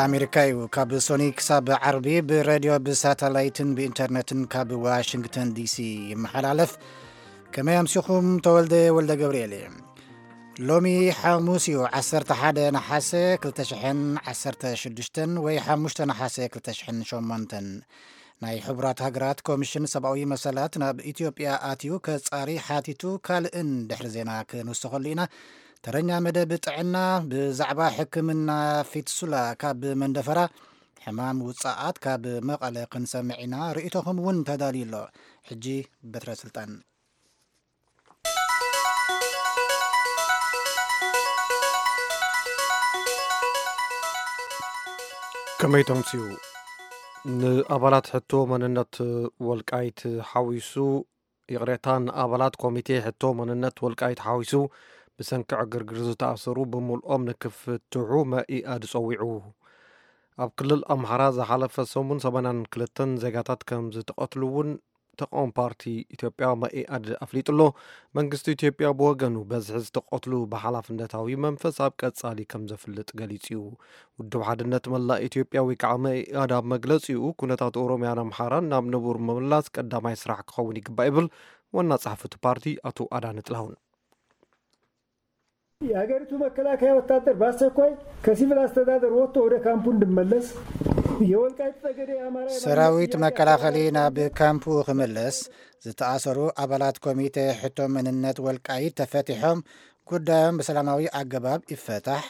ኣሜሪካ እዩ። ካብ ሶኒ ክሳብ ዓርቢ ብሬድዮ፣ ብሳተላይትን ብኢንተርነትን ካብ ዋሽንግተን ዲሲ ይመሓላለፍ። ከመይ ኣምሲኹም? ተወልደ ወልደ ገብርኤል እየ። ሎሚ ሓሙስ እዩ፣ ዓሰርተ ሓደ ነሓሰ ክልተ ሽሕን ዓሰርተ ሽዱሽተን ወይ ሓሙሽተ ነሓሰ ክልተ ሽሕን ሸሞንተን። ናይ ሕቡራት ሃገራት ኮሚሽን ሰብኣዊ መሰላት ናብ ኢትዮጵያ ኣትዩ ከጻሪ ሓቲቱ፣ ካልእን ድሕሪ ዜና ክንውስኸሉ ኢና። ተረኛ መደብ ጥዕና፣ ብዛዕባ ሕክምና ፊትሱላ ካብ መንደፈራ፣ ሕማም ውጻኣት ካብ መቐለ ክንሰምዕ ኢና። ርእይቶኹም እውን ተዳልዩ ኣሎ። ሕጂ በትረ ስልጣን። ከመይ ተምስዩ? ንኣባላት ሕቶ መንነት ወልቃይት ሓዊሱ፣ ይቕሬታ፣ ንኣባላት ኮሚቴ ሕቶ መንነት ወልቃይት ሓዊሱ ብሰንኪ ዕግርግር ዝተኣሰሩ ብምልኦም ንክፍትሑ መኢኣድ ጸዊዑ። ኣብ ክልል ኣምሓራ ዝሓለፈ ሰሙን ሰማንያን ክልተን ዜጋታት ከም ዝተቐትሉ እውን ተቃዋሚ ፓርቲ ኢትዮጵያ መኢኣድ ኣፍሊጡ ኣሎ። መንግስቲ ኢትዮጵያ ብወገኑ በዝሒ ዝተቐትሉ ብሓላፍነታዊ መንፈስ ኣብ ቀጻሊ ከም ዘፍልጥ ገሊጹ እዩ። ውድብ ሓድነት መላእ ኢትዮጵያ ወይ ከዓ መኢኣድ ኣብ መግለጺኡ፣ ኩነታት ኦሮሚያን ኣምሓራን ናብ ንቡር ምምላስ ቀዳማይ ስራሕ ክኸውን ይግባእ ይብል ዋና ጸሓፊ እቲ ፓርቲ ኣቶ ኣዳነ ጥላሁን። የሀገሪቱ መከላከያ ወታደር በአስቸኳይ ከሲቪል አስተዳደር ወጥቶ ወደ ካምፑ እንዲመለስ፣ የወልቃይት ጠገዴ የአማራ የማንነት ሰራዊት ጥያቄ መከላኸሊ አስተባባሪ ናብ ካምፑ ክምለስ፣ ዝተኣሰሩ ኣባላት ኮሚቴ ሕቶ መንነት ወልቃይት ተፈቲሖም ጉዳዮም ብሰላማዊ ኣገባብ ይፈታሕ፣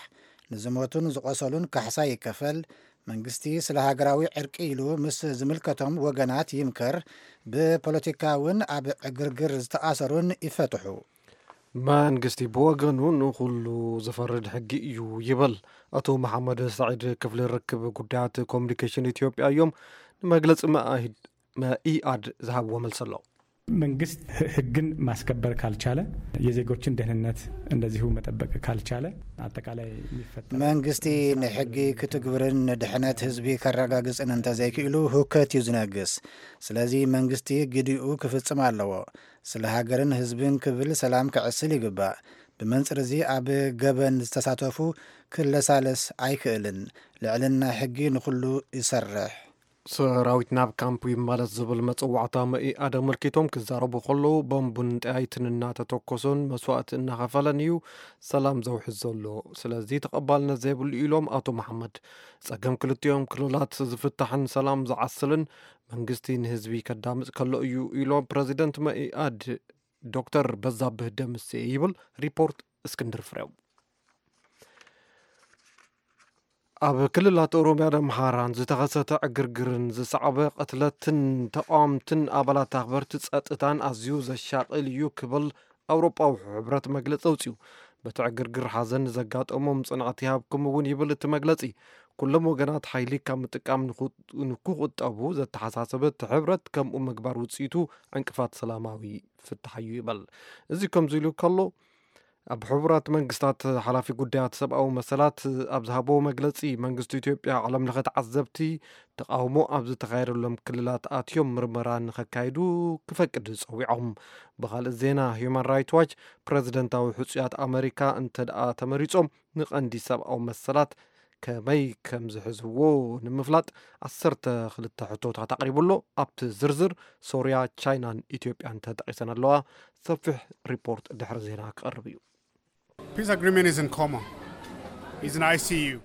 ንዝሞቱን ዝቆሰሉን ካሕሳ ይከፈል፣ መንግስቲ ስለ ሃገራዊ ዕርቂ ኢሉ ምስ ዝምልከቶም ወገናት ይምከር፣ ብፖለቲካ እውን ኣብ ዕግርግር ዝተኣሰሩን ይፈትሑ። መንግስቲ ብወገኑ ንኹሉ ዝፈርድ ሕጊ እዩ ይብል። ኣቶ መሓመድ ሳዒድ ክፍሊ ርክብ ጉዳያት ኮሚኒኬሽን ኢትዮጵያ እዮም ንመግለፂ መኣሂድ መኢኣድ ዝሃብዎ መልሲ ኣሎ። መንግስት ህ- ህግን ማስከበር ካልቻለ፣ የዜጎችን ደህንነት እንደዚሁ መጠበቅ ካልቻለ፣ አጠቃላይ የሚፈጠር መንግስቲ ንሕጊ ክትግብርን ንድሕነት ህዝቢ ከረጋግፅን እንተዘይክእሉ፣ ሁከት እዩ ዝነግስ። ስለዚ መንግስቲ ግዲኡ ክፍፅም ኣለዎ። ስለ ሃገርን ህዝብን ክብል ሰላም ከዕስል ይግባእ። ብመንፅር እዚ ኣብ ገበን ዝተሳተፉ ክለሳለስ ኣይክእልን። ልዕልና ሕጊ ንኹሉ ይሰርሕ። ሰራዊት ናብ ካምፕ ይመለስ ዝብል መፀዋዕታ መኢኣድ ኣመልኪቶም ክዛረቡ ከለዉ፣ ቦምብን ጠያይትን እናተተኮሶን መስዋእቲ እናኸፈለን እዩ ሰላም ዘውሕዝ ዘሎ። ስለዚ ተቐባልነት ዘይብሉ ኢሎም ኣቶ መሓመድ። ፀገም ክልቲኦም ክልላት ዝፍታሕን ሰላም ዝዓስልን መንግስቲ ንህዝቢ ከዳምፅ ከሎ እዩ ኢሎም ፕረዚደንት መኢኣድ ዶክተር በዛብህ ደምሴ ይብል ሪፖርት እስክንድር ፍሬው። ኣብ ክልላት ኦሮሚያን ኣምሓራን ዝተኸሰተ ዕግርግርን ዝሰዓበ ቅትለትን ተቓወምትን ኣባላት ኣኽበርቲ ጸጥታን ኣዝዩ ዘሻቕል እዩ ክብል ኣውሮጳዊ ሕብረት መግለጺ ኣውጺኡ። በቲ ዕግርግር ሓዘን ንዘጋጠሞም ጽንዓት ይሃብኩም እውን ይብል እቲ መግለጺ። ኩሎም ወገናት ሓይሊ ካብ ምጥቃም ንኹ- ንክቑጠቡ ዘተሓሳሰበ እቲ ሕብረት ከምኡ ምግባር ውጽኢቱ ዕንቅፋት ሰላማዊ ፍታሕ እዩ ይበል። እዚ ከምዚ ኢሉ ከሎ ኣብ ሕቡራት መንግስታት ሓላፊ ጉዳያት ሰብኣዊ መሰላት ኣብ ዝሃቦ መግለጺ መንግስቲ ኢትዮጵያ ዓለም ለኸ ተዓዘብቲ ተቓውሞ ኣብ ዝተኻየደሎም ክልላት ኣትዮም ምርመራ ንኸካይዱ ክፈቅድ ጸዊዖም። ብኻልእ ዜና ሂዩማን ራይት ዋች ፕረዚደንታዊ ሕጹያት ኣመሪካ እንተ ደኣ ተመሪጾም ንቐንዲ ሰብኣዊ መሰላት ከመይ ከም ዝሕዝዎ ንምፍላጥ ዓሰርተ ክልተ ሕቶታት ኣቕሪቡ ኣሎ። ኣብቲ ዝርዝር ሶርያ፣ ቻይናን ኢትዮጵያን ተጠቒሰን ኣለዋ። ሰፊሕ ሪፖርት ድሕሪ ዜና ክቐርብ እዩ። Peace agreement is in coma. He's in I C U.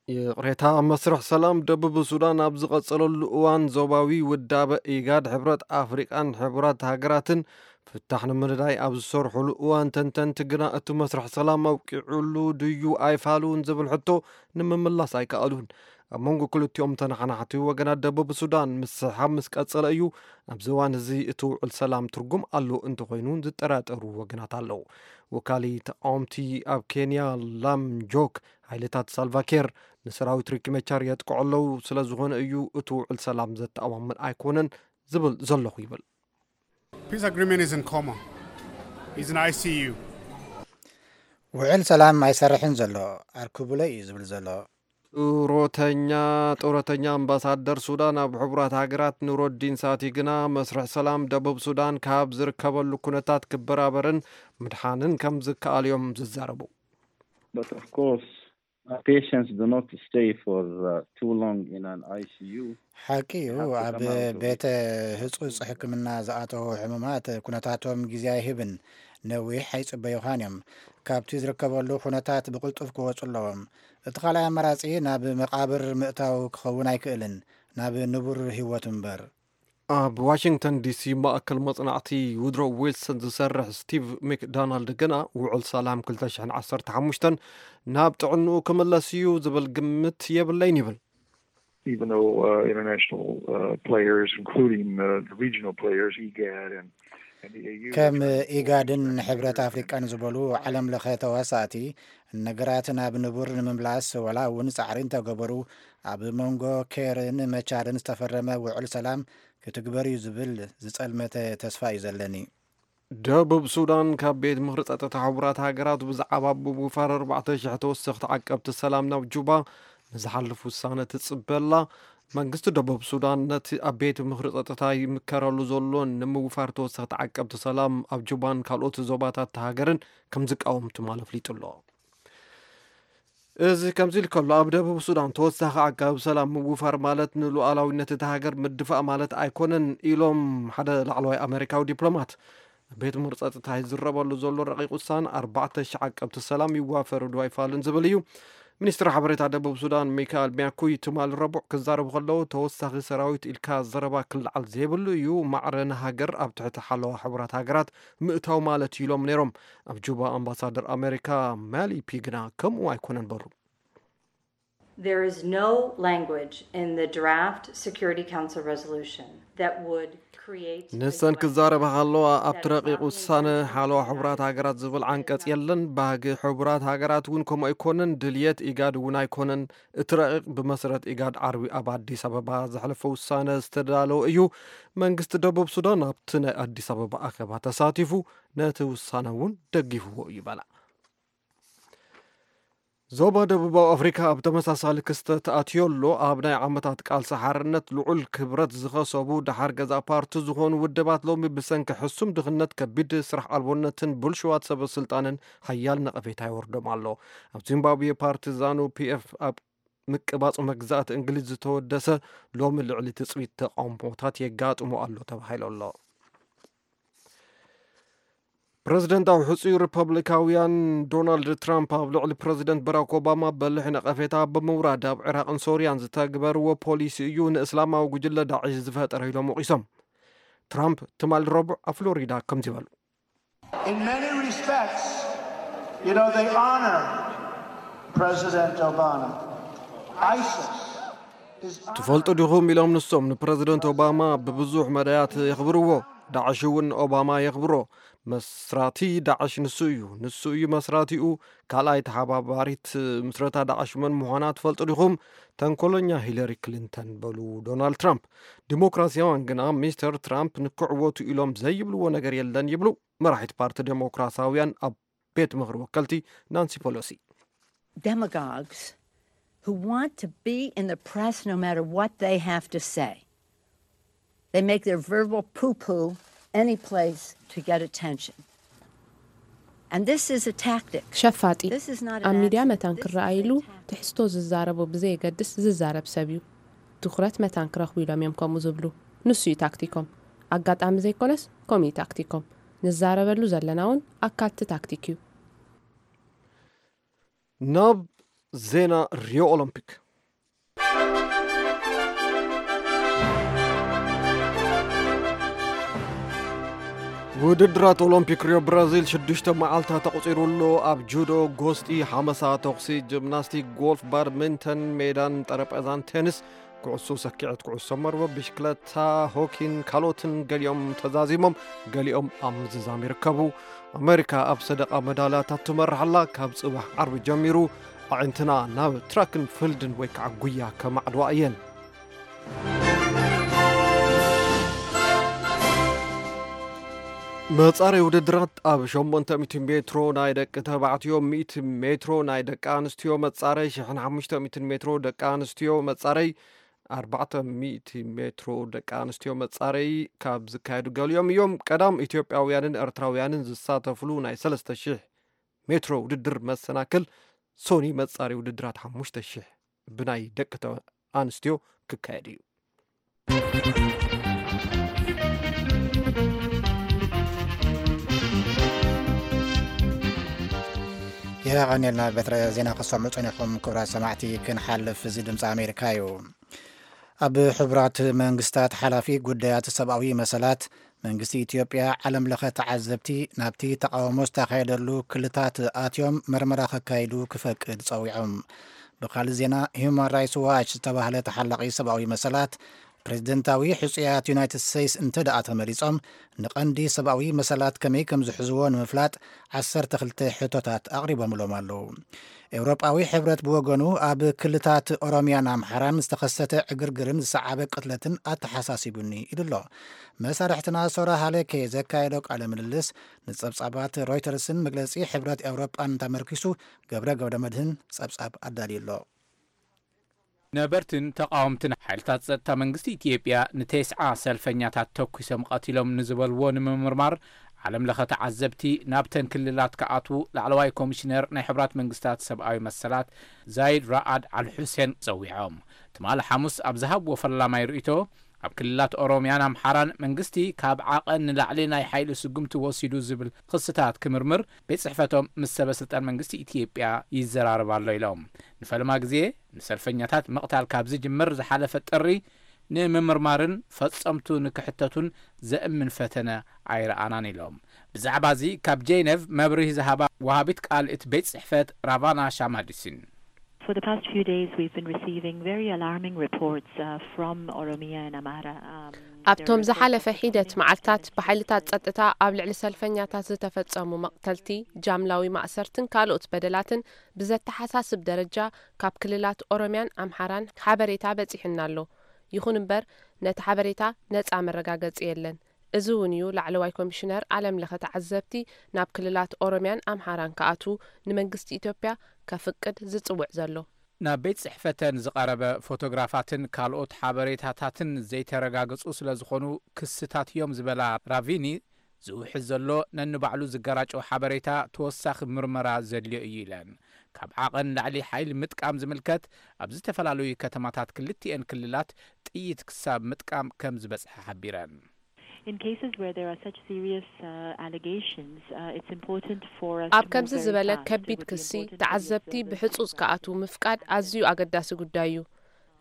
ይቕሬታ፣ መስርሕ ሰላም ደቡብ ሱዳን ኣብ ዝቐጸለሉ እዋን ዞባዊ ውዳበ ኢጋድ፣ ሕብረት ኣፍሪቃን ሕቡራት ሃገራትን ፍታሕ ንምንዳይ ኣብ ዝሰርሕሉ እዋን ተንተንቲ ግና እቲ መስርሕ ሰላም ኣብቂዑሉ ድዩ ኣይፋሉን ዝብል ሕቶ ንምምላስ ኣይከኣሉን። ኣብ መንጎ ክልቲኦም ተነሓናሕቲ ወገናት ደቡብ ሱዳን ምስሕሓብ ምስ ቀጸለ እዩ ኣብዚ እዋን እዚ እቲ ውዕል ሰላም ትርጉም ኣሎ እንተኾይኑ ዝጠራጠሩ ወገናት ኣለዉ። ወካሊ ተቃወምቲ ኣብ ኬንያ ላም ጆክ ሓይልታት ሳልቫኬር ንሰራዊት ሪክ መቻር የጥቅዑ ኣለዉ፣ ስለ ዝኾነ እዩ እቲ ውዕል ሰላም ዘተኣማምን ኣይኮነን ዝብል ዘለኹ ይብል። Peace agreement is in coma. He's in I C U. ውዕል ሰላም ኣይሰርሕን ዘሎ፣ ኣርክቡለይ እዩ ዝብል ዘሎ። ጡረተኛ ጡረተኛ ኣምባሳደር ሱዳን ኣብ ሕቡራት ሃገራት ኑረዲን ሳቲ ግና መስርሕ ሰላም ደቡብ ሱዳን ካብ ዝርከበሉ ኩነታት ክበራበርን ምድሓንን ከም ዝከኣል እዮም ዝዛረቡ። But of course, Uh, patients do not stay for uh, too long in an I C U. ሓቂ እዩ። ኣብ ቤተ ህጹጽ ሕክምና ዝኣተዉ ሕሙማት ኩነታቶም ግዜ ኣይህብን። ነዊሕ ኣይጽበዩኻን እዮም። ካብቲ ዝርከበሉ ኩነታት ብቕልጡፍ ክወጹ ኣለዎም። እቲ ካልኣይ ኣማራጺ ናብ መቓብር ምእታው ክኸውን ኣይክእልን፣ ናብ ንቡር ህይወት እምበር። ኣብ ዋሽንግተን ዲሲ ማእከል መጽናዕቲ ውድሮ ዊልሰን ዝሰርሕ ስቲቭ ሚክዶናልድ ግና ውዕል ሰላም ክልተ ሽሕን ዓሰርተ ሓሙሽተን ናብ ጥዕንኡ ክምለስ እዩ ዝብል ግምት የብለይን ይብል። Even though uh, international uh, players, including uh, the regional players, IGAD and, and the A U, are ከም trying to ኢጋድን ሕብረት ኣፍሪቃን ዝበሉ ዓለም ለኸ ተዋሳእቲ ነገራት ናብ ንቡር ንምምላስ ዋላ እውን ጻዕሪ እንተገበሩ፣ ኣብ መንጎ ኬርን መቻርን ዝተፈረመ ውዕል ሰላም ክትግበር እዩ ዝብል ዝጸልመተ ተስፋ እዩ ዘለኒ። ደቡብ ሱዳን ካብ ቤት ምኽሪ ጸጥታ ሕቡራት ሃገራት ብዛዕባ ምውፋር ኣርባዕተ ሽሕ ተወሰኽቲ ዓቀብቲ ሰላም ናብ ጁባ ንዝሓልፍ ውሳነ ትጽበላ። መንግስቲ ደቡብ ሱዳን ነቲ ኣብ ቤት ምኽሪ ጸጥታ ይምከረሉ ዘሎ ንምውፋር ተወሰኽቲ ዓቀብቲ ሰላም ኣብ ጁባን ካልኦት ዞባታት እታ ሃገርን ከም ዝቃወም ትማል ኣፍሊጡ ኣሎ። እዚ ከምዚ ኢሉ ከሎ፣ ኣብ ደቡብ ሱዳን ተወሳኺ ዓቃቢ ሰላም ምውፋር ማለት ንሉዓላዊነት እታ ሃገር ምድፋእ ማለት ኣይኮነን ኢሎም ሓደ ላዕለዋይ ኣመሪካዊ ዲፕሎማት። ቤት ምኽሪ ጸጥታ ይዝረበሉ ዘሎ ረቂቕ ውሳነ ኣርባዕተ ሽሕ ዓቀብቲ ሰላም ይዋፈሩ ዶ ኣይፋሉን ዝብል እዩ። ሚኒስትር ሓበሬታ ደቡብ ሱዳን ሚካኤል ሚያኩይ ትማል ረቡዕ ክዛረቡ ከለዉ፣ ተወሳኺ ሰራዊት ኢልካ ዘረባ ክለዓል ዘይብሉ እዩ፣ ማዕረ ንሃገር ኣብ ትሕቲ ሓለዋ ሕቡራት ሃገራት ምእታው ማለት እዩ ኢሎም ነይሮም። ኣብ ጁባ ኣምባሳደር ኣሜሪካ ማሊ ፒ ግና ከምኡ ኣይኮነን በሉ። There is no language in the draft Security Council resolution that would create a ንሰን directive ክዛረባ ከለዋ ኣብቲ that is ረቂቕ not ውሳነ consistent ሓለዋ with ሕቡራት our ሃገራት ዝብል ዓንቀጽ የለን። ባህጊ ሕቡራት ሃገራት እውን ከምኡ ኣይኮነን። ድልየት ኢጋድ እውን ኣይኮነን። እቲ ረቂቕ ብመሰረት ኢጋድ ዓርቢ ኣብ ኣዲስ ኣበባ ዘሕለፈ ውሳነ ዝተዳለወ እዩ። መንግስቲ ደቡብ ሱዳን ኣብቲ ናይ ኣዲስ ኣበባ ኣኼባ ተሳቲፉ ነቲ ውሳነ እውን ደጊፍዎ እዩ በላ። ዞባ ደቡባዊ ኣፍሪካ ኣብ ተመሳሳሊ ክስተት ኣትዮ ኣሎ። ኣብ ናይ ዓመታት ቃልሲ ሓርነት ልዑል ክብረት ዝኸሰቡ ደሓር ገዛ ፓርቲ ዝኾኑ ውድባት ሎሚ ብሰንኪ ሕሱም ድኽነት፣ ከቢድ ስራሕ ኣልቦነትን ብልሽዋት ሰበ ስልጣንን ሓያል ነቐፌታ ይወርዶም ኣሎ። ኣብ ዚምባብዌ ፓርቲ ዛኑ ፒ ኤፍ ኣብ ምቅባጽ መግዛእቲ እንግሊዝ ዝተወደሰ ሎሚ ልዕሊ ትጽቢት ተቃውሞታት የጋጥሞ ኣሎ ተባሂሉ ኣሎ። ፕረዚደንታዊ ሕጹይ ሪፐብሊካውያን ዶናልድ ትራምፕ ኣብ ልዕሊ ፕረዚደንት ባራክ ኦባማ በሊሕ ነቐፌታ ብምውራድ ኣብ ዒራቕን ሶርያን ዝተግበርዎ ፖሊሲ እዩ ንእስላማዊ ጉጅለ ዳዕሽ ዝፈጠረ ኢሎም ወቒሶም። ትራምፕ ትማል ረቡዕ ኣብ ፍሎሪዳ ከምዚ በሉ። In many respects, you know, they honor President Obama. ISIS is ትፈልጡ ዲኹም ኢሎም ንሶም ንፕረዚደንት ኦባማ ብብዙሕ መዳያት የኽብርዎ። ዳዕሽ እውን ኦባማ የኽብሮ። መስራቲ ዳዕሽ ንሱ እዩ። ንሱ እዩ መስራቲኡ። ካልኣይ ተሓባባሪት ምስረታ ዳዕሽ መን ምዃና ትፈልጡ ዲኹም? ተንኮለኛ ሂለሪ ክሊንተን በሉ ዶናልድ ትራምፕ። ዲሞክራሲያውያን ግና ሚስተር ትራምፕ ንክዕወቱ ኢሎም ዘይብልዎ ነገር የለን ይብሉ። መራሒት ፓርቲ ዴሞክራሲያውያን ኣብ ቤት ምኽሪ ወከልቲ ናንሲ ፖሎሲ። Demagogues who want to be in the press no matter what they have to say. They make their verbal poo poo any place to get attention. And this is a tactic. ሸፋጢ This is not ኣብ an ሚድያ accident. መታን This is ክረኣይሉ a tactic. ትሕዝቶ ዝዛረቡ ብዘየገድስ ዝዛረብ ሰብ እዩ። ትኹረት መታን ክረኽቡ ኢሎም እዮም ከምኡ ዝብሉ። ንሱ እዩ ታክቲኮም። ኣጋጣሚ ዘይኮነስ ከምኡ እዩ ታክቲኮም። ንዛረበሉ ዘለና እውን ኣካልቲ ታክቲክ እዩ። ናብ ዜና ሪዮ ኦሎምፒክ። ውድድራት ኦሎምፒክ ሪዮ ብራዚል ሽዱሽተ መዓልታት ተቑጺሩ ኣሎ። ኣብ ጁዶ፣ ጎስጢ፣ ሓመሳ፣ ተኹሲ፣ ጂምናስቲክ፣ ጎልፍ፣ ባድሚንተን፣ ሜዳን ጠረጴዛን ቴኒስ፣ ኩዕሶ ሰኪዐት፣ ኩዕሶ መርበብ፣ ብሽክለታ፣ ሆኪን ካልኦትን ገሊኦም ተዛዚሞም፣ ገሊኦም ኣብ ምዝዛም ይርከቡ። ኣሜሪካ ኣብ ሰደቓ መዳልያታት ትመርሕ ኣላ። ካብ ጽባሕ ዓርቢ ጀሚሩ ኣዒንትና ናብ ትራክን ፊልድን ወይ ከዓ ጉያ ከማዕድዋ እየን። መጻረይ ውድድራት ኣብ ሸሞንተ ሚእቲ ሜትሮ ናይ ደቂ ተባዕትዮ፣ ሚእቲ ሜትሮ ናይ ደቂ ኣንስትዮ መጻረይ፣ ሽሕን ሓሙሽተ ሚእትን ሜትሮ ደቂ ኣንስትዮ መጻረይ፣ ኣርባዕተ ሚእቲ ሜትሮ ደቂ ኣንስትዮ መጻረይ ካብ ዝካየዱ ገሊኦም እዮም። ቀዳም ኢትዮጵያውያንን ኤርትራውያንን ዝሳተፍሉ ናይ ሰለስተ ሽሕ ሜትሮ ውድድር መሰናክል ሶኒ መጻሪ ውድድራት ሓሙሽተ ሽሕ ብናይ ደቂ ተ-፣ ኣንስትዮ ክካየድ እዩ። የቐኔልና በትረ ዜና ክሰምዑ ጸኒኹም ክቡራት ሰማዕቲ። ክንሓልፍ፣ እዚ ድምፂ ኣሜሪካ እዩ። ኣብ ሕቡራት መንግስታት ሓላፊ ጉዳያት ሰብኣዊ መሰላት መንግስቲ ኢትዮጵያ ዓለም ለኸ ተዓዘብቲ ናብቲ ተቃውሞ ዝተኻየደሉ ክልታት ኣትዮም መርመራ ከካይዱ ክፈቅድ ጸዊዖም። ብኻልእ ዜና፣ ሂዩማን ራይትስ ዋች ዝተባህለ ተሓላቒ ሰብኣዊ መሰላት ፕሬዝደንታዊ ሕጹያት ዩናይትድ ስቴትስ እንተ ደኣ ተመሪጾም፣ ንቐንዲ ሰብኣዊ መሰላት ከመይ ከም ዝሕዝዎ ንምፍላጥ ዓሰርተ ክልተ ሕቶታት ኣቕሪቦምሎም ኣለዉ። ኤውሮጳዊ ሕብረት ብወገኑ ኣብ ክልታት ኦሮሚያን ኣምሓራን ዝተኸሰተ ዕግርግርን ዝሰዓበ ቅትለትን ኣተሓሳሲቡኒ ኢሉ ኣሎ። መሳርሕትና ሶራ ሃለኬ ዘካየዶ ቃለ ምልልስ ንጸብጻባት ሮይተርስን መግለጺ ሕብረት ኤውሮጳን ተመርኪሱ ገብረ ገብረ መድህን ጸብጻብ ኣዳልዩ ኣሎ። ነበርትን ተቓወምትን ሓይልታት ጸጥታ መንግስቲ ኢትዮጵያ ንተስዓ ሰልፈኛታት ተኩሶም ቀቲሎም ንዝበልዎ ንምምርማር ዓለም ለኸ ተዓዘብቲ ናብተን ክልላት ክኣትዉ ላዕለዋይ ኮሚሽነር ናይ ሕቡራት መንግስታት ሰብኣዊ መሰላት ዛይድ ራኣድ ኣል ሑሴን ጸዊዖም። ትማሊ ሓሙስ ኣብ ዝሃብዎ ፈላማይ ርእይቶ፣ ኣብ ክልላት ኦሮሚያን ኣምሓራን መንግስቲ ካብ ዓቐን ንላዕሊ ናይ ሓይሊ ስጉምቲ ወሲዱ ዝብል ክስታት ክምርምር ቤት ጽሕፈቶም ምስ ሰበ ስልጣን መንግስቲ ኢትዮጵያ ይዘራረብ ኣሎ ኢሎም። ንፈለማ ግዜ ንሰልፈኛታት ምቕታል ካብ ዝጅምር ዝሓለፈ ጥሪ ንምምርማርን ፈጸምቱ ንክሕተቱን ዘእምን ፈተነ ኣይረኣናን ኢሎም። ብዛዕባ እዚ ካብ ጄኔቭ መብርሂ ዝሃባ ወሃቢት ቃል እቲ ቤት ጽሕፈት ራቫና ሻማዲሲን። For the past few days, we've been receiving very alarming reports, uh, from Oromia and Amhara. Um, there ኣብቶም were ዝሓለፈ reports of ሒደት community መዓልታት ብሓይልታት ጸጥታ ኣብ ልዕሊ ሰልፈኛታት ዝተፈጸሙ መቕተልቲ፣ ጃምላዊ ማእሰርትን ካልኦት በደላትን ብዘተሓሳስብ ደረጃ ካብ ክልላት ኦሮሚያን ኣምሓራን ሓበሬታ በጺሑና ኣሎ። ይኹን እምበር፣ ነቲ ሓበሬታ ነጻ መረጋገጺ የለን። እዚ እውን እዩ ላዕለዋይ ኮሚሽነር ዓለም ለኸ ተዓዘብቲ ናብ ክልላት ኦሮሚያን ኣምሓራን ክኣትዉ ንመንግስቲ ኢትዮጵያ ከፍቅድ ዝጽውዕ ዘሎ። ናብ ቤት ጽሕፈተን ዝቐረበ ፎቶግራፋትን ካልኦት ሓበሬታታትን ዘይተረጋገጹ ስለ ዝኾኑ ክስታት እዮም ዝበላ ራቪኒ፣ ዝውሕዝ ዘሎ ነንባዕሉ ዝገራጨው ሓበሬታ ተወሳኺ ምርመራ ዘድልዮ እዩ ኢለን። ካብ ዓቐን ላዕሊ ሓይሊ ምጥቃም ዝምልከት ኣብ ዝተፈላለዩ ከተማታት ክልቲኤን ክልላት ጥይት ክሳብ ምጥቃም ከም ዝበጽሐ ሓቢረን። In cases where there are such serious, uh, allegations, uh, it's important for us ኣብ to move ከምዚ very ዝበለ fast. It ከቢድ would be ክሲ important for the ተዓዘብቲ observers ብሕጹጽ and ክኣትዉ ምፍቃድ ኣዝዩ ኣገዳሲ ጉዳይ እዩ።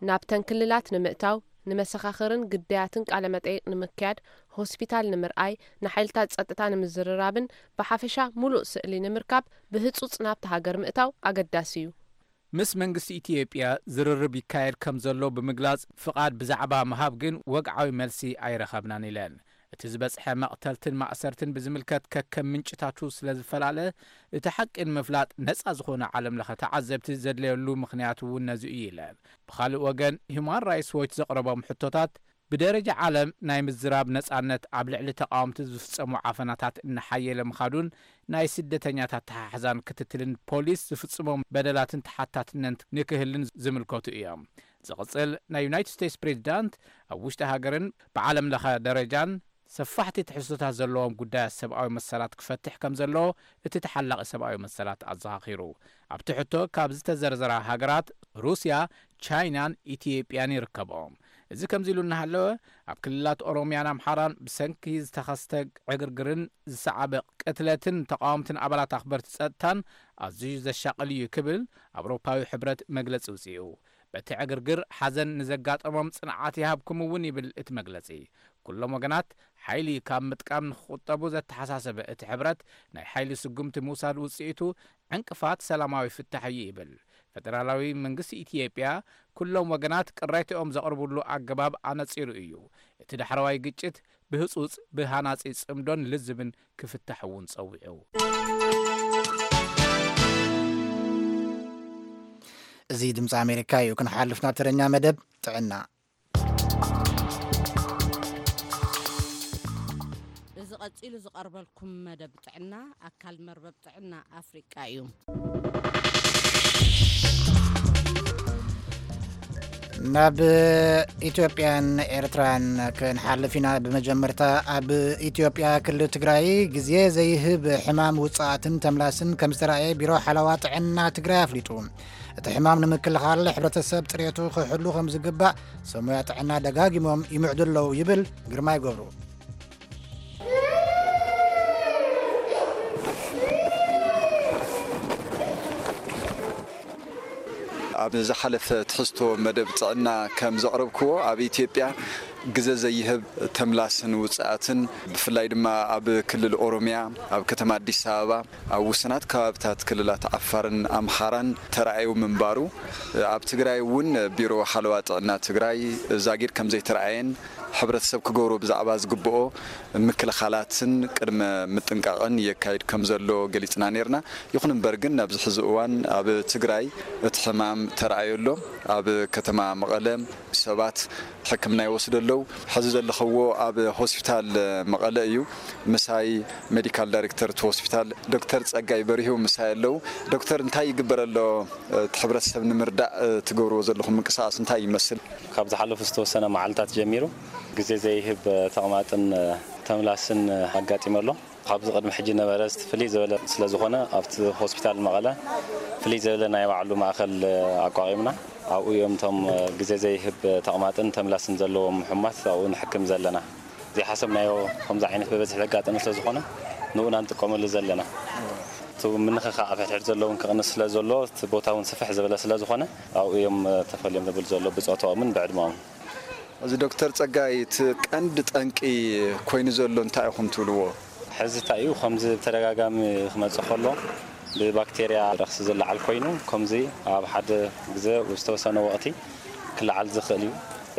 ናብተን ክልላት ንምእታው፣ ንመሰኻኽርን ግዳያትን ቃለ መጠይቕ ንምክያድ፣ ሆስፒታል ንምርኣይ፣ ንሓይልታት ጸጥታ ንምዝርራብን ብሓፈሻ ሙሉእ ስእሊ ንምርካብ ብህጹጽ ናብቲ ሃገር ምእታው ኣገዳሲ እዩ። ምስ መንግስቲ ኢትዮጵያ ዝርርብ ይካየድ ከም ዘሎ ብምግላጽ፣ ፍቓድ ብዛዕባ ምሃብ ግን ወግዓዊ መልሲ ኣይረኸብናን ኢለን። እቲ ዝበጽሐ መቕተልትን ማእሰርትን ብዝምልከት ከከም ምንጭታቱ ስለ ዝፈላለ፣ እቲ ሓቂ ንምፍላጥ ነጻ ዝኾነ ዓለም ለኸ ተዓዘብቲ ዘድለየሉ ምኽንያት እውን ነዚ እዩ ኢለን። ብኻልእ ወገን፣ ሂዩማን ራይትስ ዎች ዘቕረቦም ሕቶታት፣ ብደረጃ ዓለም ናይ ምዝራብ ነጻነት ኣብ ልዕሊ ተቓወምቲ ዝፍጸሙ ዓፈናታት እናሓየለ ምኻዱን ናይ ስደተኛታት ኣተሓሕዛን ክትትልን ፖሊስ ዝፍጽሞም በደላትን ተሓታትነት ንክህልን ዝምልከቱ እዮም። ዝቕጽል ናይ ዩናይትድ ስቴትስ ፕሬዚዳንት ኣብ ውሽጢ ሃገርን ብዓለም ለኸ ደረጃን ሰፋሕቲ ትሕዝቶታት ዘለዎም ጉዳያት ሰብኣዊ መሰላት ክፈትሕ ከም ዘለዎ እቲ ተሓላቒ ሰብኣዊ መሰላት ኣዘኻኺሩ። ኣብቲ ሕቶ ካብ ዝተዘርዘራ ሃገራት ሩስያ፣ ቻይናን ኢትዮጵያን ይርከብኦም። እዚ ከምዚ ኢሉ እናሃለወ፣ ኣብ ክልላት ኦሮሚያን ኣምሓራን ብሰንኪ ዝተኸስተ ዕግርግርን ዝሰዓበ ቅትለትን ተቓወምትን ኣባላት ኣኽበርቲ ጸጥታን ኣዝዩ ዘሻቕል እዩ ክብል ኣውሮፓዊ ሕብረት መግለጺ ውጽኡ። በቲ ዕግርግር ሓዘን ንዘጋጠሞም ጽንዓት ይሃብኩም እውን ይብል እቲ መግለጺ። ኩሎም ወገናት ሓይሊ ካብ ምጥቃም ንክቑጠቡ ዘተሓሳሰበ እቲ ሕብረት፣ ናይ ሓይሊ ስጉምቲ ምውሳድ ውጽኢቱ ዕንቅፋት ሰላማዊ ፍታሕ እዩ ይብል። ፈደራላዊ መንግስቲ ኢትዮጵያ ኩሎም ወገናት ቅሬታኦም ዘቕርብሉ ኣገባብ ኣነጺሩ እዩ። እቲ ዳሕረዋይ ግጭት ብህጹጽ ብሃናጺ ጽምዶን ልዝብን ክፍታሕ እውን ጸዊዑ። እዚ ድምፂ ኣሜሪካ እዩ። ክንሓልፍ ናብ ተረኛ መደብ ጥዕና። እዚ ቀጺሉ ዝቐርበልኩም መደብ ጥዕና ኣካል መርበብ ጥዕና ኣፍሪቃ እዩ። ናብ ኢትዮጵያን ኤርትራን ክንሓልፍ ኢና። ብመጀመርታ ኣብ ኢትዮጵያ ክልል ትግራይ ግዜ ዘይህብ ሕማም ውጽኣትን ተምላስን ከም ዝተራእየ ቢሮ ሓለዋ ጥዕና ትግራይ ኣፍሊጡ። እቲ ሕማም ንምክልኻል ሕብረተሰብ ጽሬቱ ክሕሉ ከም ዝግባእ ሰብ ሞያ ጥዕና ደጋጊሞም ይምዕዱ ኣለዉ ይብል ግርማይ ገብሩ። ኣብ ዝሓለፈ ትሕዝቶ መደብ ጥዕና ከም ዘቕረብክዎ፣ ኣብ ኢትዮጵያ ግዘ ዘይህብ ተምላስን ውፅኣትን፣ ብፍላይ ድማ ኣብ ክልል ኦሮሚያ፣ ኣብ ከተማ ኣዲስ ኣበባ፣ ኣብ ውሱናት ከባብታት ክልላት ዓፋርን ኣምሓራን ተራእዩ ምንባሩ፣ ኣብ ትግራይ እውን ቢሮ ሓለዋ ጥዕና ትግራይ ዛጊድ ከም ዘይተራእየን፣ ሕብረተሰብ ክገብሮ ብዛዕባ ዝግብኦ ምክልኻላትን ቅድመ ምጥንቃቕን የካይድ ከም ዘሎ ገሊጽና ነይርና። ይኹን እምበር ግን ኣብዚ ሕዚ እዋን ኣብ ትግራይ እቲ ሕማም ተራእዮ ኣሎ። ኣብ ከተማ መቐለ ሰባት ሕክምና ይወስዱ ኣለዉ። ሕዚ ዘለኽዎ ኣብ ሆስፒታል መቐለ እዩ። ምሳይ ሜዲካል ዳይሬክተር እቲ ሆስፒታል ዶክተር ጸጋይ በሪሁ ምሳይ ኣለዉ። ዶክተር፣ እንታይ ይግበር ኣሎ? እቲ ሕብረተሰብ ንምርዳእ ትገብርዎ ዘለኹም ምንቅስቓስ እንታይ ይመስል? ካብ ዝሓለፉ ዝተወሰነ መዓልታት ጀሚሩ ግዜ ዘይህብ ተቕማጥን ተምላስን ኣጋጢሙ ኣሎ። ካብዚ ቅድሚ ሕጂ ነበረ ፍልይ ዝበለ ስለ ዝኾነ ኣብቲ ሆስፒታል መቐለ ፍልይ ዝበለ ናይ ባዕሉ ማእኸል ኣቋቒምና ኣብኡ እዮም እቶም ግዜ ዘይህብ ተቕማጥን ተምላስን ዘለዎም ሕሙማት ኣብኡ ንሕክም ዘለና። ዘይሓሰብናዮ ከምዚ ዓይነት ብበዝሒ ዘጋጠመ ስለ ዝኾነ ንኡ ኢና ንጥቀመሉ ዘለና። እቲ ምንኽኻእ ኣብ ሕድሕድ ዘሎ እውን ክቕንስ ስለ ዘሎ እቲ ቦታ እውን ስፍሕ ዝበለ ስለ ዝኾነ ኣብኡ እዮም ተፈልዮም ዝብል ዘሎ ብፆታኦምን ብዕድመኦምን። እዚ ዶክተር ጸጋይ፣ እቲ ቀንዲ ጠንቂ ኮይኑ ዘሎ እንታይ ኢኹም ትብልዎ? ሕዚ እንታይ እዩ፣ ከምዚ ብተደጋጋሚ ክመጽእ ከሎ ብባክቴርያ ረኽሲ ዝለዓል ኮይኑ፣ ከምዚ ኣብ ሓደ ግዘ ዝተወሰነ ወቕቲ ክለዓል ዝኽእል እዩ።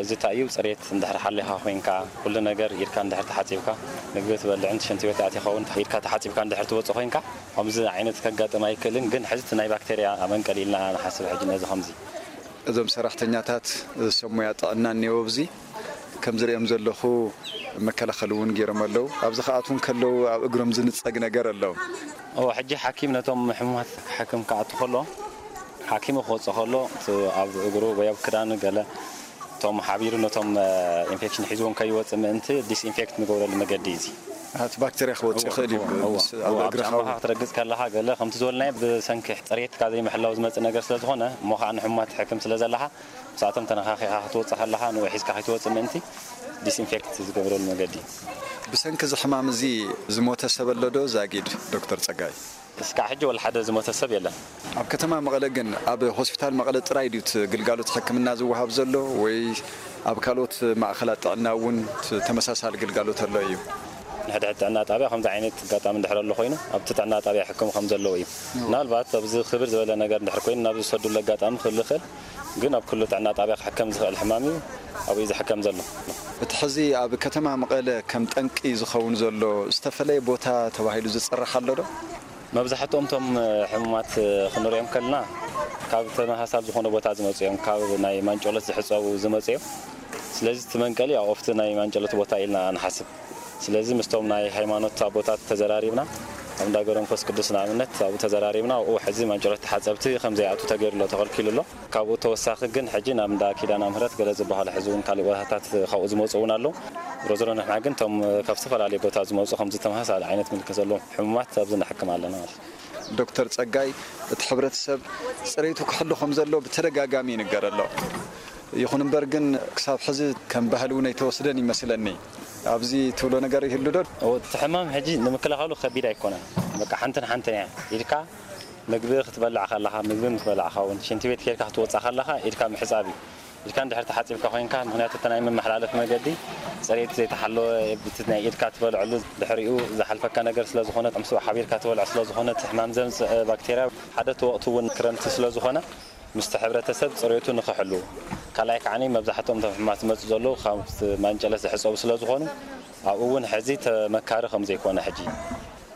እዚ እንታይ እዩ፣ ጽሬት እንድሕር ሓሊኻ ኮይንካ፣ ኩሉ ነገር ኢድካ እንድሕር ተሓጺብካ፣ ምግቢ ትበልዕን ሽንቲ ቤት ኣቲኻ እውን ኢድካ ተሓጺብካ እንድሕር ትወጽእ ኮይንካ፣ ከምዚ ዓይነት ከጋጥም ኣይክእልን። ግን ሕዚ እቲ ናይ ባክቴርያ መንቀሊ ኢልና ንሓስብ። ሕጂ ነዚ ከምዚ እዞም ሰራሕተኛታት ሰብ ሞያ ጥዕና እኒኦ ኣብዚ ከም ዝሪኦም ዘለኹ መከላኸሊ እውን ገይሮም ኣለዉ። ኣብዚ ክኣትዉ ከለዉ ኣብ እግሮም ዝንፀግ ነገር ኣለዉ። እዎ፣ ሕጂ ሓኪም ነቶም ሕሙማት ክሓክም ክኣቱ ከሎ ሓኪሙ ክወፅእ ከሎ እቲ ኣብ እግሩ ወይ ኣብ ክዳኑ ገለ እቶም ሓቢሩ ነቶም ኢንፌክሽን ሒዝዎም ከይወፅእ ምእንቲ ዲስኢንፌክት ንገብረሉ መገዲ እዩ እዚ። እቲ ባክተርያ ክወፅእ ይኽእል እዩ። እዎ፣ ምስ- ኣብ እዎ፣ ኣብ እግርኻ ጫማኻ እውን ክትረግፅ ከለኻ ገለ ከምቲ ዝበልናዮ ብሰንኪ ፅሬትካ ዘይምሕላው ዝመፅእ ነገር ስለ ዝኾነ እሞ ከዓ ንሕሙማት ትሕክም ስለ ዘለኻ ምስኣቶም ተነኻኺኻ ክትወፅእ ከለኻ ንኡ ሒዝካ ከይትወፅእ ምእንቲ ዲስኢንፌክት ዝገብረሉ መገዲ። ብሰንኪ እዚ ሕማም እዚ ዝሞተ ሰብ ኣሎ ዶ ዛጊድ ዶክተር ፀጋይ? እስካዕ ሕጂ ወላ ሓደ ዝሞተ ሰብ የለን። ኣብ ከተማ መቐለ ግን ኣብ ሆስፒታል መቐለ ጥራይ ድዩ እቲ ግልጋሎት ሕክምና ዝወሃብ ዘሎ ወይ ኣብ ካልኦት ማእኸላት ጥዕና እውን ት- ተመሳሳሊ ግልጋሎት ኣሎ እዩ? ንሕድሕድ ጥዕና ጣብያ ከምዚ ዓይነት ኣጋጣሚ እንድሕር ኣሎ ኮይኑ ኣብቲ ጥዕና ጣብያ ሕክም ከም ዘለዎ እዩ። ምናልባት ኣብዚ ክብር ዝበለ ነገር እንድሕር ኮይኑ ናብ ዝሰዱሉ ኣጋጣሚ ክህሉ ይኽእል፣ ግን ኣብ ኩሉ ጥዕና ጣብያ ክሕከም ዝኽእል ሕማም እዩ ኣብኡ ዝሕከም ዘሎ። እቲ ሕዚ ኣብ ከተማ መቐለ ከም ጠንቂ ዝኸውን ዘሎ ዝተፈለየ ቦታ ተባሂሉ ዝፅራሕ ኣሎ ዶ? መብዛሕትኦም እቶም ሕሙማት ክንሪኦም ከለና ካብ ተመሳሳሊ ዝኾነ ቦታ ዝመፁ እዮም። ካብ ናይ ማንጨሎት ዝሕፀቡ ዝመፁ እዮም። ስለዚ እቲ መንቀሊ ኣብ ኦፍቲ ናይ ማንጨሎት ቦታ ኢልና ንሓስብ። ስለዚ ምስቶም ናይ ሃይማኖት ኣቦታት ተዘራሪብና ኣብ እንዳ ገብረ መንፈስ ቅዱስ ንኣብነት ኣብኡ ተዘራሪብና ኣብኡ ሕዚ ማንጨሎት ተሓፀብቲ ከም ዘይኣቱ ተገይሩ ኣሎ፣ ተኸልኪሉ ኣሎ። ካብኡ ተወሳኺ ግን ሕጂ ናብ እንዳ ኪዳነ ምህረት ገለ ዝበሃሉ ሕዚ እውን ካልእ ቦታታት ካብኡ ዝመፁ እውን ኣለዉ። ዞሮ ዞሮ ንሕና ግን እቶም ካብ ዝተፈላለዩ ቦታ ዝመፁ ከምዚ ተመሳሳሊ ዓይነት ምልክት ዘለዎም ሕሙማት ኣብዚ ንሕክም ኣለና ማለት እዩ። ዶክተር ጸጋይ፣ እቲ ሕብረተሰብ ጽሬቱ ክሕሉ ከም ዘለዎ ብተደጋጋሚ ይንገር ኣሎ። ይኹን እምበር ግን ክሳብ ሕዚ ከም ባህሊ እውን ኣይተወስደን ይመስለኒ። ኣብዚ ትብሎ ነገር ይህሉ ዶ? እቲ ሕማም ሕጂ ንምክልኻሉ ከቢድ ኣይኮነን። በቃ ሓንትን ሓንትን እያ ኢድካ ምግቢ ክትበልዕ ከለኻ፣ ምግቢ ምስ በላዕኻ እውን ሽንቲ ቤት ኬድካ ክትወፅእ ከለኻ ኢድካ ምሕፃብ እዩ። ኢድካ እንድሕር ተሓፂብካ ኮይንካ፣ ምኽንያቱ እቲ ናይ መመሓላለፊ መገዲ ፅሬት ዘይተሓለወ፣ እቲ ናይ ኢድካ ትበልዐሉ ድሕሪኡ ዝሓልፈካ ነገር ስለ ዝኾነ፣ ምስኡ ሓቢርካ ትበልዖ ስለ ዝኾነ፣ እቲ ሕማም ዘምፅእ ባክቴርያ ሓደ እቲ ወቕቲ እውን ክረምቲ ስለ ዝኾነ፣ ምስቲ ሕብረተሰብ ፅሬቱ ንኽሕሉ፣ ካልኣይ ከዓኒ መብዛሕትኦም እቶም ሕማማት ዝመፁ ዘለዉ ካብቲ ማንጨለት ዝሕፀቡ ስለ ዝኾኑ፣ ኣብኡ እውን ሕዚ ተመካሪ ከም ዘይኮነ ሕጂ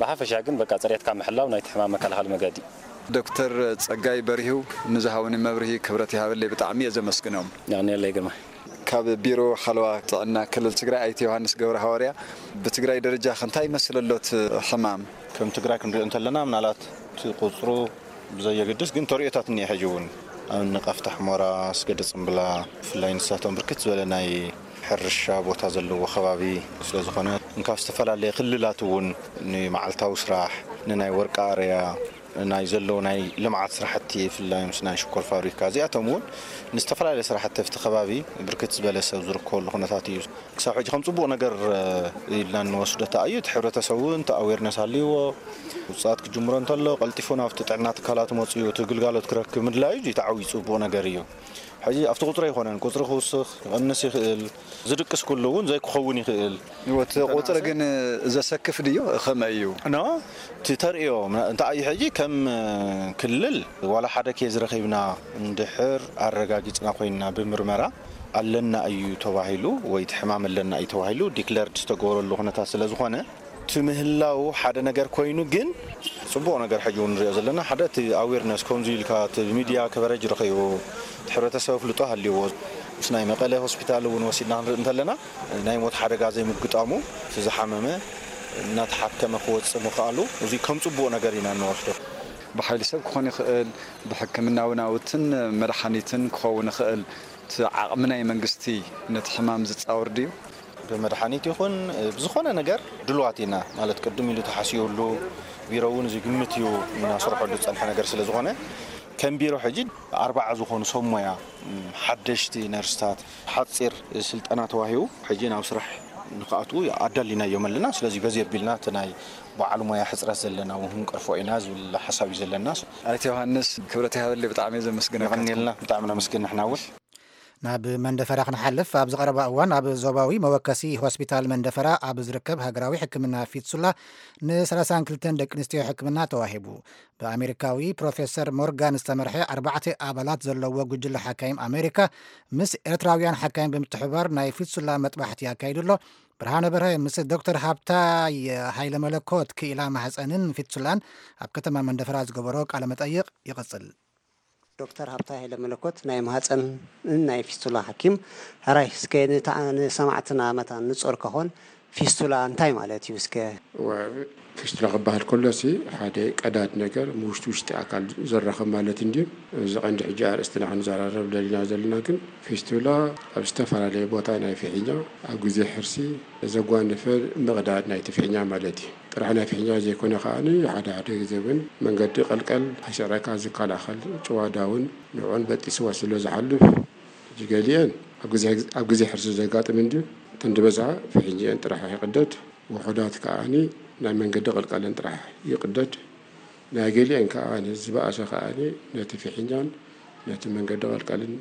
ብሓፈሻ ግን በቃ ፅሬትካ ምሕላው ናይቲ ሕማም መከላኸሊ መገዲ። ዶክተር ጸጋይ በሪሁ ንዝሃቡኒ መብርሂ ክብረት ይሃበለይ፣ ብጣዕሚ እየ ዘመስግኖም። የቐንየለይ ግርማይ። ካብ ቢሮ ሓለዋ ጥዕና ክልል ትግራይ ኣይተ ዮሃንስ ገብረ ሃዋርያ፣ ብትግራይ ደረጃ ከ እንታይ ይመስል ኣሎ እቲ ሕማም? ከም ትግራይ ክንሪኦ እንተለና ምናልባት እቲ ቁፅሩ ብዘየገድስ ግን ተርእዮታት እኒኦ ሕጂ እውን ኣብ ንቐፍታ ሕሞራ፣ ኣስገደ ጽምብላ፣ ብፍላይ ንሳቶም ብርክት ዝበለ ናይ ሕርሻ ቦታ ዘለዎ ከባቢ ስለ ዝኾነ፣ እንካብ ዝተፈላለየ ክልላት እውን ንመዓልታዊ ስራሕ፣ ንናይ ወርቂ ኣርያ፣ ናይ ዘለዉ ናይ ልምዓት ስራሕቲ፣ ብፍላይ ምስ ናይ ሽኮር ፋብሪካ፣ እዚኣቶም እውን ንዝተፈላለየ ስራሕቲ ኣብቲ ከባቢ ብርክት ዝበለ ሰብ ዝርከበሉ ኩነታት እዩ። ክሳብ ሕጂ ከም ጽቡቕ ነገር ኢልና እንወስዶ እንታይ እዩ፣ እቲ ሕብረተሰብ እውን እቲ ኣዌርነስ ሃልይዎ፣ ውፅኣት ክጅምሮ እንተሎ ቀልጢፉ ናብቲ ጥዕና ትካላት መፅኡ እቲ ግልጋሎት ክረክብ ምድላዩ እዩ። እቲ ዓብዪ ጽቡቕ ነገር እዩ። ሕጂ ኣብቲ ቁፅሪ ኣይኮነን፣ ቁፅሪ ክውስኽ ክቐንስ ይኽእል፣ ዝድቅስ ኩሉ እውን ዘይክኸውን ይኽእል። እወ፣ እቲ ቁፅሪ ግን ዘሰክፍ ድዩ? ከመይ እዩ? ኖ፣ እቲ ተርእዮ እንታይ እዩ? ሕጂ ከም ክልል ዋላ ሓደ ኬዝ ረኺብና እንድሕር ኣረጋጊፅና ኮይንና ብምርመራ ኣለና እዩ ተባሂሉ ወይ እቲ ሕማም ኣለና እዩ ተባሂሉ ዲክለርድ ዝተገበረሉ ኩነታት ስለ ዝኾነ፣ እቲ ምህላው ሓደ ነገር ኮይኑ፣ ግን ጽቡቕ ነገር ሕጂ እውን ንሪኦ ዘለና ሓደ እቲ ኣዌርነስ ከምዚ ኢልካ እቲ ሚድያ ከቨረጅ ረኺቡ፣ እቲ ሕብረተሰብ ኣፍልጦ ሃልይዎ፣ ምስ ናይ መቐለ ሆስፒታል እውን ወሲድና ክንርኢ እንተለና ናይ ሞት ሓደጋ ዘይምግጣሙ፣ እቲ ዝሓመመ እናተሓከመ ክወጽእ ምኽኣሉ፣ እዚ ከም ጽቡቕ ነገር ኢና እንወስዶ። ብሓይሊ ሰብ ክኾን ይኽእል፣ ብሕክምናዊ ናውትን መድሓኒትን ክኸውን ይኽእል። እቲ ዓቕሚ ናይ መንግስቲ ነቲ ሕማም ዝጻወር ድዩ? ብመድሓኒት ይኹን ብዝኾነ ነገር ድልዋት ኢና፣ ማለት ቅድም ኢሉ ተሓሲቡሉ፣ ቢሮ እውን ዝግምት እዩ እናሰርሐሉ ዝጸንሐ ነገር ስለ ዝኾነ፣ ከም ቢሮ ሕጂ ኣርባዓ ዝኾኑ ሰብ ሞያ፣ ሓደሽቲ ነርስታት፣ ሓጺር ስልጠና ተዋሂቡ ሕጂ ናብ ስራሕ ንክኣትዉ ኣዳሊናዮም ኣለና። ስለዚ በዚ ኣቢልና እቲ ናይ በዓል ሞያ ሕጽረት ዘለና እውን ክንቀርፎ ኢና ዝብል ሓሳብ እዩ ዘለና። ኣይተ ዮሃንስ፣ ክብረት ይሃበለይ፣ ብጣዕሚ እየ ዘመስግነካ። የቐንየልና፣ ብጣዕሚ ነመስግን ንሕና እውን። ናብ መንደፈራ ክንሓልፍ፣ ኣብዚ ቀረባ እዋን ኣብ ዞባዊ መወከሲ ሆስፒታል መንደፈራ ኣብ ዝርከብ ሃገራዊ ሕክምና ፊትሱላ ን ሰላሳን ክልተን ደቂ ኣንስትዮ ሕክምና ተዋሂቡ። ብኣሜሪካዊ ፕሮፌሰር ሞርጋን ዝተመርሐ ኣርባዕተ ኣባላት ዘለዎ ጉጅለ ሓካይም ኣሜሪካ ምስ ኤርትራውያን ሓካይም ብምትሕብባር ናይ ፊትሱላ መጥባሕቲ ኣካይዱ ኣሎ። ብርሃነ በርሀ ምስ ዶክተር ሃብታይ ሃይለ መለኮት ክኢላ ማህፀንን ፊትሱላን ኣብ ከተማ መንደፈራ ዝገበሮ ቃለ መጠይቕ ይቕጽል። ዶክተር ሃብታይ ሃይለ መለኮት ናይ ማህፀንን ናይ ፊስቱላ ሓኪም፣ ሕራይ እስከ ንታ-፣ ንሰማዕትና መታን ንጾር ከኾን ፊስቱላ እንታይ ማለት እዩ እስከ? ወ-፣ ፊስቱላ ክበሃል ከሎሲ ሓደ ቀዳድ ነገር ውሽጢ ውሽጢ ኣካል ዘራኽብ ማለት እንድዩ። እዚ ቀንዲ ሕጂ ኣርእስትና ክንዘራረብ ደሊና ዘለና ግን ፊስቱላ ኣብ ዝተፈላለየ ቦታ ናይ ፍሒኛ ኣብ ግዜ ሕርሲ ዘጓነፈ ምቕዳድ ናይቲ ፍሒኛ ማለት እዩ። ጥራሕ ናይ ፍሒኛ ዘይኮነ ከኣ ሓደ ሓደ ግዜ እውን መንገዲ ቀልቀል ከይስዕረካ ዝከላኸል ጭዋዳ እውን ንዕኡን በጢስዎ ስለ ዝሓልፍ፣ ሕጂ ገሊአን ኣብ ግዜ፣ ኣብ ግዜ ሕርሲ ዘጋጥም እንድዩ። እተን ዝበዝሓ ፍሒኝአን ጥራሕ ይቕደድ፣ ውሑዳት ከኣ ናይ መንገዲ ቀልቀለን ጥራሕ ይቕደድ። ናይ ገሊአን ከኣ ዝበኣሰ ከኣ ነቲ ፍሒኛን ነቲ መንገዲ ቀልቀልን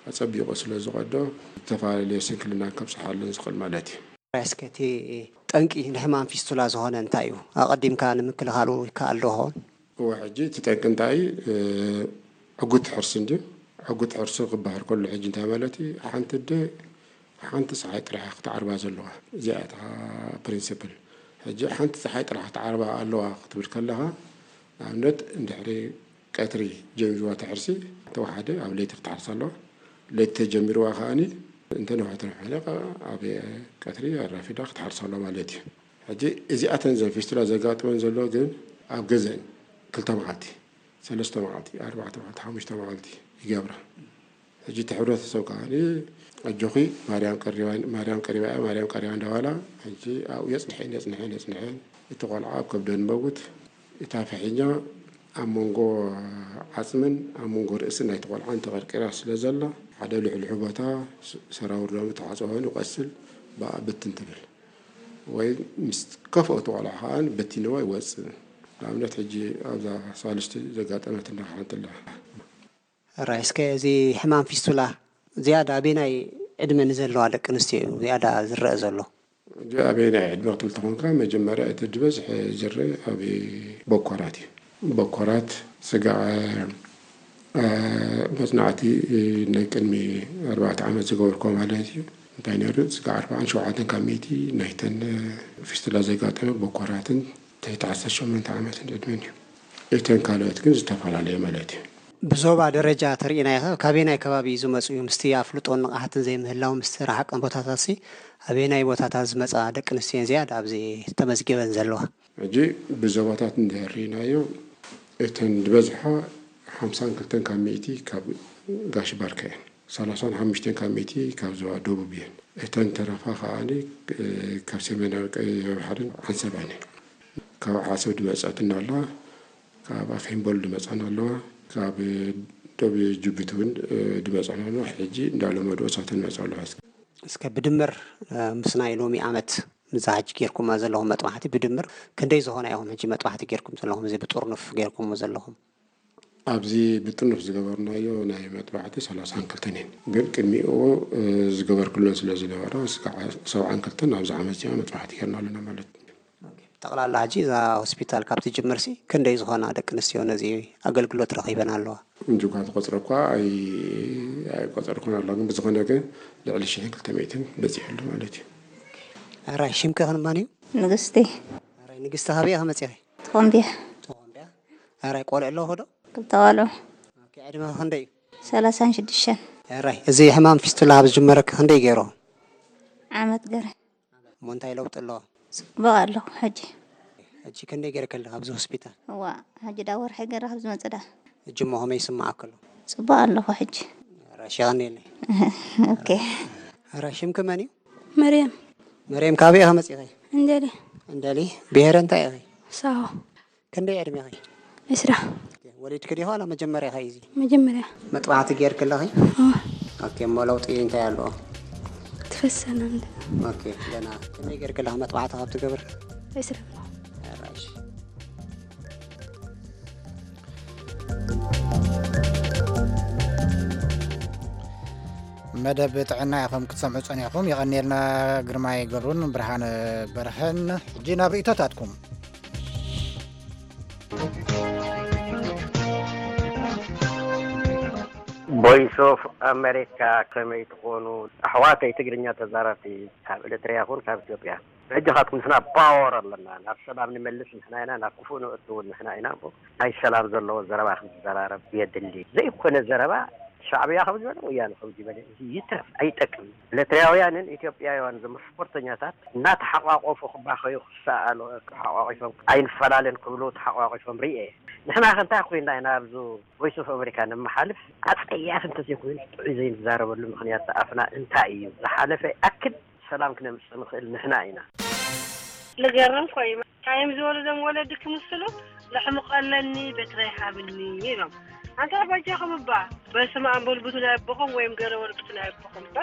ኣጸቢቑ ስለ ዝቐዶ፣ ዝተፈላለየ ስንክልናን ከብጽሓለን ዝኽእል ማለት እዩ። እስከ እቲ ጠንቂ ንሕማም ፊስቱላ ዝኾነ እንታይ እዩ? ኣቐዲምካ ንምክልኻሉ ይከኣል ዶ ይኸውን? እወ፣ ሕጂ እቲ ጠንቂ እንታይ እዩ? እ፣ ዕጉት ሕርሲ እንድዩ። ዕጉት ሕርሲ ክበሃል ከሎ ሕጂ እንታይ ማለት እዩ? ሓንቲ ኣደ ሓንቲ ጸሓይ ጥራሕ ክትዓርባ ዘለዋ። እዚኣ እታ ፕሪንሲፕል። ሕጂ ሓንቲ ጸሓይ ጥራሕ ክትዓርባ ኣለዋ ክትብል ከለኻ፣ ንኣብነት እንድሕሪ ቀትሪ ጀሚርዋ እቲ ሕርሲ፣ ተወሓደ ኣብ ለይቲ ክትሓርስ ኣለዋ። ለይቲ ተጀሚርዋ ከኣኒ እንተ ነዊሕ ተነዊሑ ከኣ ኣብ ቀትሪ ኣራፊዳ ክትሓርስ ኣለዋ ማለት እዩ። ሕጂ እዚኣተን ዘን ፊስቱላ ዘጋጥመን ዘሎ ግን ኣብ ገዘን ክልተ መዓልቲ፣ ሰለስተ መዓልቲ፣ ኣርባዕተ መዓልቲ፣ ሓሙሽተ መዓልቲ ይገብራ። ሕጂ እቲ ሕብረተሰብ ከኣ ኣጆኺ ማርያም ቀሪባ፣ ማርያም ቀሪባ እያ፣ ማርያም ቀሪባ እንዳበላ ሕጂ ኣብኡ የጽንሐን የጽንሐን የጽንሐን እቲ ቆልዓ ኣብ ከብደን መውት እታ ፍሒኛ ኣብ መንጎ ዓጽምን ኣብ መንጎ ርእስን ናይቲ ቆልዓን ተቐርቂራ ስለ ዘላ፣ ሓደ ልሕልሑ ቦታ ስ-፣ ሰራውር ሎሚ ተሓጽቦ ኮይኑ ይቆስል፣ ብኣ ብትን ትብል። ወይ ምስ ከፍኦ እቲ ቆልዓ ከኣ በቲንዎ ይወጽእ። ንኣብነት ሕጂ ኣብዛ ሳልስቲ ዘጋጠመትና ሓንቲ ኣላ። ራይ፣ እስከ እዚ ሕማም ፊስቱላ ዝያዳ ኣበየናይ ዕድመ ንዘለዋ ደቂ ኣንስትዮ እዩ ዝያዳ ዝረአ ዘሎ? እዚ ኣበየናይ ዕድመ ክትብል ተኾንካ፣ መጀመርያ እቲ ዝበዝሐ ዝረአ ኣብ በኮራት እዩ። በኮራት፣ ስጋዕ፣ እ፣ መጽናዕቲ ናይ ቅድሚ ኣርባዕተ ዓመት ዝገበርኩዎ ማለት እዩ። እንታይ ነይሩ? ስጋዕ ኣርባዓን ሸውዓተን ካብ ሚእቲ ናይተን ፊስቱላ ዘጋጠመ በኮራትን ትሕቲ ዓሰርተ ሸሞንተ ዓመትን ዕድመን እዩ። እተን ካልኦት ግን ዝተፈላለየ ማለት እዩ። ብዞባ ደረጃ ተርኢናዮ፣ ካበየናይ ከባቢ እዩ ዝመጽኡ? ምስቲ ኣፍልጦን ንቕሓትን ዘይምህላው፣ ምስቲ ረሓቕን ቦታታትሲ ኣበየናይ ቦታታት ዝመጻ ደቂ ኣንስትዮ እየን ዝያዳ ኣብዚ ተመዝጊበን ዘለዋ? ሕጂ ብዞባታት እንድሕር ርኢናዮ፣ እተን ዝበዝሓ ሓምሳን ክልተን ካብ ሚእቲ ካብ ጋሽ ባርከ እየን። ሰላሳን ሓሙሽተን ካብ ሚእቲ ካብ ዞባ ደቡብ እየን። እተን ተረፋ ከዓኒ ካብ ሰሜናዊ ቀይሕ ባሕርን ዓሰባን እየን። ካብ ዓሰብ ድመፀትና ኣለዋ፣ ካብ ኣፌምቦል ድመፀና ኣለዋ፣ ካብ ዶብ ጅቡቲ እውን ድመፀና ኣለዋ። ሕጂ እንዳለመዱ እሳተን መፅኡ ኣለዋ። እስከ ብድምር ምስ ናይ ሎሚ ዓመት፣ ምዛ ሕጂ ጌርኩማ ዘለኹም መጥባሕቲ ብድምር ክንደይ ዝኾና ኢኹም ሕጂ መጥባሕቲ ጌርኩም ዘለኹም፣ እዚ ብጥርኑፍ ጌርኩሞ ዘለኹም? ኣብዚ ብጥርኑፍ ዝገበርናዮ ናይ መጥባሕቲ ሰላሳን ክልተን እየን። ግን ቅድሚኡ ዝገበርኩለን ስለ ዝነበራ፣ እስካዕ ሰብዓን ክልተን ኣብዚ ዓመት እዚኣ መጥባሕቲ ጌርና ኣለና ማለት እዩ። ጠቕላላ ሕጂ እዛ ሆስፒታል ካብ ትጅምርሲ ክንደይ ዝኾና ደቂ ኣንስትዮ ነዚ ኣገልግሎት ረኺበን ኣለዋ? እንጂ እኳ ተቆፅረ እኳ ኣይ- ኣይቆፀርኩን ኣሎ፣ ግን ብዝኾነ ግን ልዕሊ ሽሕን ክልተ ሚእትን በፂሑ ኣሎ ማለት እዩ። ሕራይ ሽምከ ክንማን እዩ? ንግስቲ ሕራይ ንግስቲ፣ ካበይ ኢኺ መፂኺ? ተኾምቢያ ተኾምቢያ። ሕራይ ቆልዑ ኣለዎ ዶ? ክልተ ቆልዑ ኦኬ፣ ዕድመ ክንደይ እዩ? ሰላሳን ሽዱሽተን ሕራይ እዚ ሕማም ፊስቱላ ካብ ዝጅመረኪ ክንደይ ገይሩ? ዓመት ገረ እሞ እንታይ ለውጢ ኣለዎ? ፅቡቕ ኣለኹ ሕጂ። ሕጂ ክንደይ ገይርኪ ኣለኺ ኣብዚ ሆስፒታል? እዋ ሕጂ ዳ ወርሒ ገረ ካብ ዝመፅእ ዳ ሕጂ እሞ ከመይ ይስምዓኪ ኣሎ? ፅቡቕ ኣለኹ ሕጂ። ሕራይ ሸቐኒ የለይ። ኦኬ ሕራይ ሽምኪ መን እዩ? መርየም መርየም ካበይ ኢኺ መፂኺ? እንደሊ እንደሊ። ብሄረ እንታይ ኢኺ? ሳሆ ክንደይ ዕድሜኺ? ዕስራ ወሊድኪ ዲኺ ዋላ መጀመርያኺ እዩ እዚ? መጀመርያ መጥባሕቲ ጌርኪ ኣለኺ? እወ ኦኬ፣ እሞ ለውጢ እንታይ ኣለዎ? ትፈሰና እንደ ኦኬ፣ ገና ከመይ ጌርኪ ኣለኺ መጥባሕቲ ካብ ትገብሪ? ዕስራ ሕራይ እሺ። መደብ ጥዕና ኢኹም ክትሰምዑ ጸኒሕኩም። የቐንየልና ግርማይ ገብሩን ብርሃነ በርሀን። ሕጂ ናብ ርእይቶታትኩም። ቮይስ ኦፍ ኣሜሪካ፣ ከመይ ትኾኑ ኣሕዋተይ ትግርኛ ተዛረብቲ ካብ ኤርትራ ይኹን ካብ ኢትዮጵያ? ሕጂ ካትኩም ንሕና ፓወር ኣለና፣ ናብ ሰላም ንመልስ ንሕና ኢና፣ ናብ ክፉእ ንእቱ እውን ንሕና ኢና። እሞ ናይ ሰላም ዘለዎ ዘረባ ክንዘራረብ የድሊ። ዘይኮነ ዘረባ ሻዕብያ ከም ዝበለ ወያነ ከም ዝበለ እዚ ይትረፍ፣ ኣይጠቅም። ኤርትራውያንን ኢትዮጵያውያን እዞም ስፖርተኛታት እናተሓቋቆፉ ክባኸዩ ክሰኣሉ ተሓቋቂፎም ኣይንፈላለን ክብሉ ተሓቋቂፎም ርኤ። ንሕና ከ እንታይ ኮይና ኢና ኣብዚ ቮይስ ኦፍ ኣሜሪካ ነመሓልፍ? ኣጸያፊ እንተዘይኮይኑ ጥዑይ ዘይንዛረበሉ ምኽንያት ኣፍና እንታይ እዩ? ዝሓለፈ ይኣክል ሰላም ክነምጽእ ንኽእል ንሕና ኢና። ልገርም ኮይኑ ታይም ዝበሉ ዞም ወለዲ ክምስሉ ለሕምቆ ኣለኒ በትረ ይሃብኒ ኢሎም። ኣንታ በጃኹም እባ በስመ ኣብ በሉ ብቱ ናይ ኣቦኹም ወይም ገለ በሉ ብቱ ናይ ኣቦኹም እባ።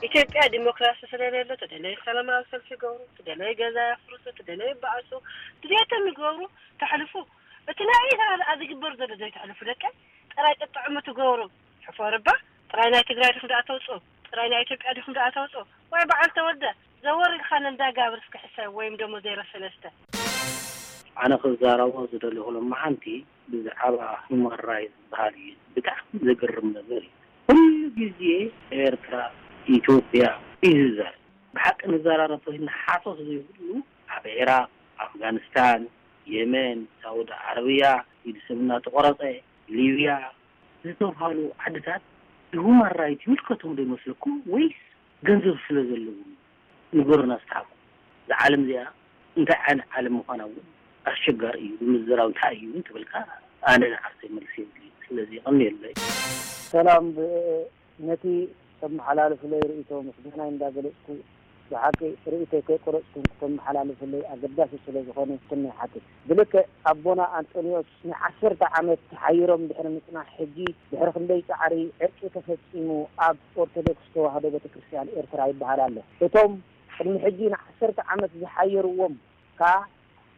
ኢትዮጵያ ዲሞክራሲ ስለሌሎ ትደለዩ ሰላማዊ ሰልፊ ይገብሩ፣ ትደለዩ ገዛ የፍርሱ፣ ትደለዩ ይበኣሱ፣ ድሌቶም ይገብሩ፣ ተሕልፉ። እቲ ናይ ኤርትራ ደኣ ዝግበር ዘሎ ዘይተሕልፉ ደቀይ ጥራይ ጥጥዕሙ ትገብሩ። ሕፈር እባ ጥራይ ናይ ትግራይ ዲኹም ደኣ ተውፅኡ? ጥራይ ናይ ኢትዮጵያ ዲኹም ደኣ ተውፅኡ? ዋይ በዓል ተወልደ ዘወር ኢልካ ነንዳ ጋብር እስኪ ሕሰብ ወይም ደሞ ዜሮ ሰለስተ። ኣነ ክዛረቦ ዝደለኹ ሎማዓንቲ ብዛዕባ ሁማን ራይት ዝበሃል እዩ። ብጣዕሚ ዘገርም ነገር እዩ። ኩሉ ግዜ ኤርትራ፣ ኢትዮጵያ እዩ ዝዛረብ። ብሓቂ ንዘራረብ ተኾይንና ሓሶት ዘይብሉ ኣብ ዒራቕ፣ ኣፍጋኒስታን፣ የመን፣ ሳውዲ ዓረብያ ኢድ ሰብ እናተቖረጸ፣ ሊብያ ዝተብሃሉ ዓድታት ንሁማን ራይት ይምልከቶም ዶ ይመስለኩም ወይስ ገንዘብ ስለ ዘለዎም? ንገሩና እስቲ ሓቁ። እዛ ዓለም እዚኣ እንታይ ዓይነት ዓለም ምዃና እውን ኣሸጋሪ እዩ። ብምዝራብ እንታይ እዩ እውን ተበልካ ኣነ ንዓርሰይ መልሲ የብለይን። ስለዚ የቐንየለይ። ሰላም ነቲ ተመሓላልፍለይ ርእይቶ ምስጋናይ እንዳገለጽኩ ብሓቂ ርእይቶይ ከይቆረጽኩም ክተመሓላልፍለይ ኣገዳሲ ስለ ዝኾነ ትሕትና ይሓትት። ብልክዕ ኣቦና ኣንጦንዮስ ንዓሰርተ ዓመት ተሓይሮም ድሕሪ ምጽናሕ ሕጂ ድሕሪ ክንደይ ጻዕሪ ዕርቂ ተፈጺሙ ኣብ ኦርቶዶክስ ተዋህዶ ቤተክርስትያን ኤርትራ ይበሃል ኣሎ። እቶም ቅድሚ ሕጂ ንዓሰርተ ዓመት ዝሓየርዎም ከኣ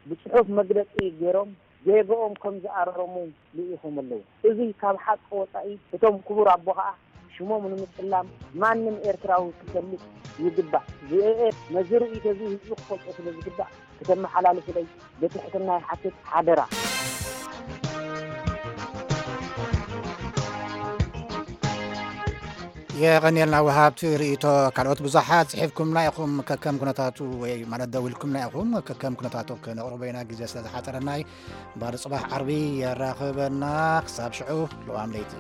ብጽሑፍ መግለጺ ገይሮም ጌግኦም ከም ዝኣረሙ ልኢኾም ኣለዉ። እዚ ካብ ሓቂ ወጻኢ እቶም ክቡር ኣቦ ከኣ ሽሞም ንምጽላም ማንም ኤርትራዊ ክፈልጥ ይግባእ። ቪኦኤ ነዚ ርእይቶ እዚ ህዝቢ ክፈልጦ ስለ ዝግባእ ክተመሓላልፉለይ ብትሕትና ይሓትት ሓደራ። የቐንየልና ወሃብቲ ርእይቶ። ካልኦት ብዙሓት ጽሒፍኩምና ኢኹም፣ ከከም ኩነታቱ ወይ ማለት ደዊልኩምና ኢኹም፣ ከከም ኩነታቱ ክነቕርቦ ኢና፣ ግዜ ስለ ዝሓጸረና እዩ። እምበኣር ጽባሕ ዓርቢ የራኽበና። ክሳብ ሽዑ ልዋም ለይቲ።